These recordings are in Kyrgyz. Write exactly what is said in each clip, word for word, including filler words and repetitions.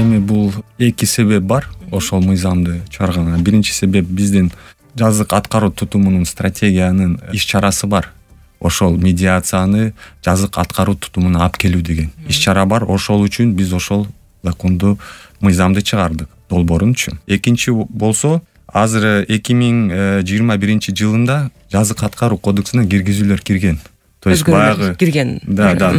Эми бул эки себеп бар ошол мыйзамды чыгарганга. Биринчи себеп биздин жазык аткаруу тутумунун стратегиянын иш чарасы бар. Ошол медиацияны жазык аткаруу тутумуна алып келүү деген иш чара бар. Ошол үчүн биз ошол законду мыйзамды чыгардык долбоорунчу. Экинчи болсо азыр эки миң жыйырма биринчи жылында жазык аткаруу кодексине киргизүүлөр кирген. То есть баягы кирген. Да, да.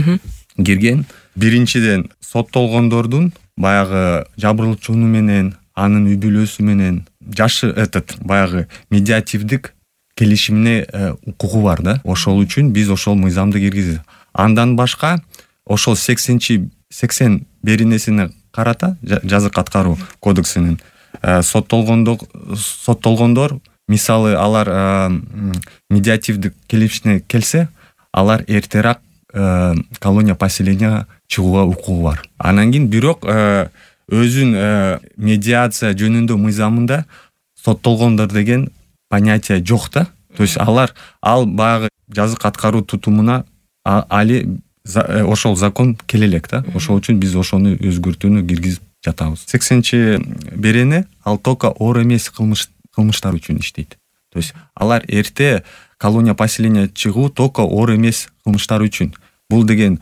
Кирген. Биринчиден соттолгондордун баягы жабырлоочуну менен анын үй бүлөсү менен жашы этот баягы медиативдик келишимине укугу бар да. Ошол үчүн биз ошол мыйзамды киргиздик. Андан башка ошол сексенчи сексен беренесине карата жазык аткаруу кодексинин соттолгондор соттолгондор мисалы алар медиативдик келишимине келсе, алар эртерээк колония поселенияга чыгууга укугу бар. Анан кийин бирок өзүн медиация жөнүндө мыйзамында соттолгондор деген понятие жок да. То есть алар ал баягы жазык аткаруу тутумуна али ошол закон келе элек да. Ошол үчүн биз ошону өзгөртүүнү киргизип жатабыз. сексенчи берене ал только оор эмес кылмыш кылмыштар үчүн иштейт. То есть алар эрте колония поселения чыгуу только оор эмес кылмыштар үчүн. Бул деген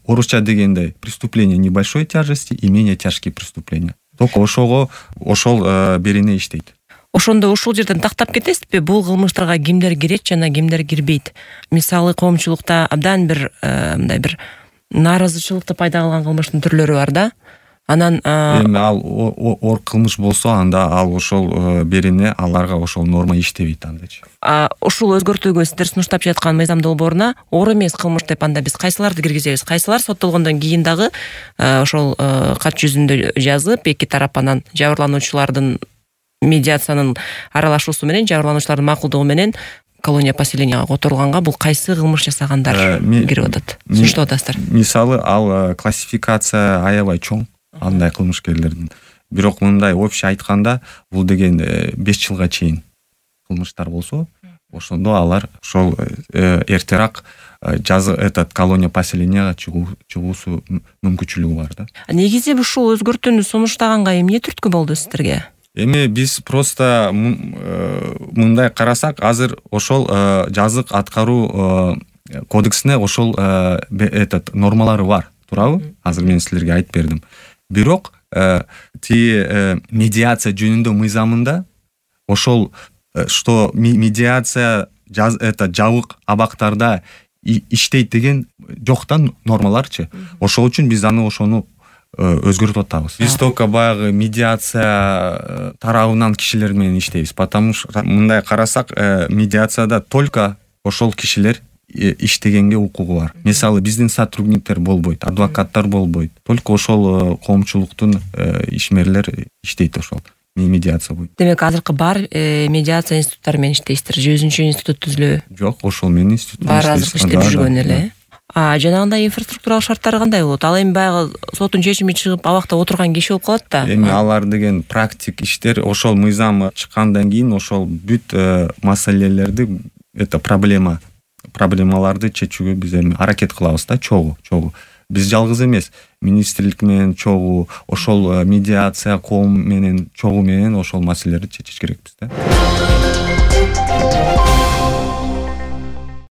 орусча дегенде преступление небольшой тяжести и менее тяжкие преступления. Только ошого ошол берене иштейт. Ошондо ушул жерден тактап кетесизби? Бул кылмыштарга кимдер кирет жана кимдер кирбейт? Мисалы коомчулукта абдан бир мындай бир нааразычылыкты пайда кылган кылмыштын түрлөрү бар да. Анан эми ал оор кылмыш болсо, анда ал ошол берене аларга ошол норма иштебейт андачы. А ушул өзгөртүүгө сиздер сунуштап жаткан мыйзам долбооруна оор эмес кылмыш деп анда биз кайсыларды киргизебиз? Кайсылар соттолгондон кийин дагы ошол кат жүзүндө жазып, эки тарап анан жабырлануучулардын медиациянын аралашуусу менен, жабырлануучулардын макулдугу менен колония поселенияга которулганга бул кайсы кылмыш жасагандар кирип атат? Сунуштап атасыздар. Мисалы ал классификация аябай чоң андай кылмышкерлердин. Бирок мындай общий айтканда, бул деген беш жылга чейин кылмыштар болсо, ошондо алар ошол эртерээк жазы этот колония поселенияга чыгуусу мүмкүнчүлүгү бар да. Негизи ушул өзгөртүүнү сунуштаганга эмне түрткү болду сиздерге? Эми биз просто мындай карасак, азыр ошол жазык аткаруу кодексине ошол этот нормалары бар, туурабы? Азыр мен силерге айтып бердим. Бирок ти медиация жөнүндө мыйзамында ошол что медиация жаз это жабык абактарда иштейт деген жоктан нормаларчы. Ошол үчүн биз аны ошону өзгөртүп атабыз. Биз только баягы медиация тарабынан кишилер менен иштейбиз. Потому что мындай карасак, медиацияда только ошол кишилер иштегенге укугу бар. Мисалы биздин сотрудниктер болбойт, адвокаттар болбойт. Только ошол коомчулуктун ишмерлер иштейт ошол медиация боюнча. Демек азыркы бар медиация институттары менен иштейсиздер, же өзүнчө институт түзүлөбү? Жок, ошол менен институт бар азыркы иштеп жүргөн эле. А жанагындай инфраструктуралык шарттары кандай болот? Ал эми баягы соттун чечими чыгып абакта отурган киши болуп калат да. Эми алар деген практик иштер, ошол мыйзам чыккандан кийин ошол бүт маселелерди, это проблема проблемаларды чечүүгө биз эми аракет кылабыз да, чогуу, чогуу. Биз жалгыз эмес, министрлик менен чогуу, ошол медиация коом менен чогуу менен ошол маселелерди чечиш керекпиз да.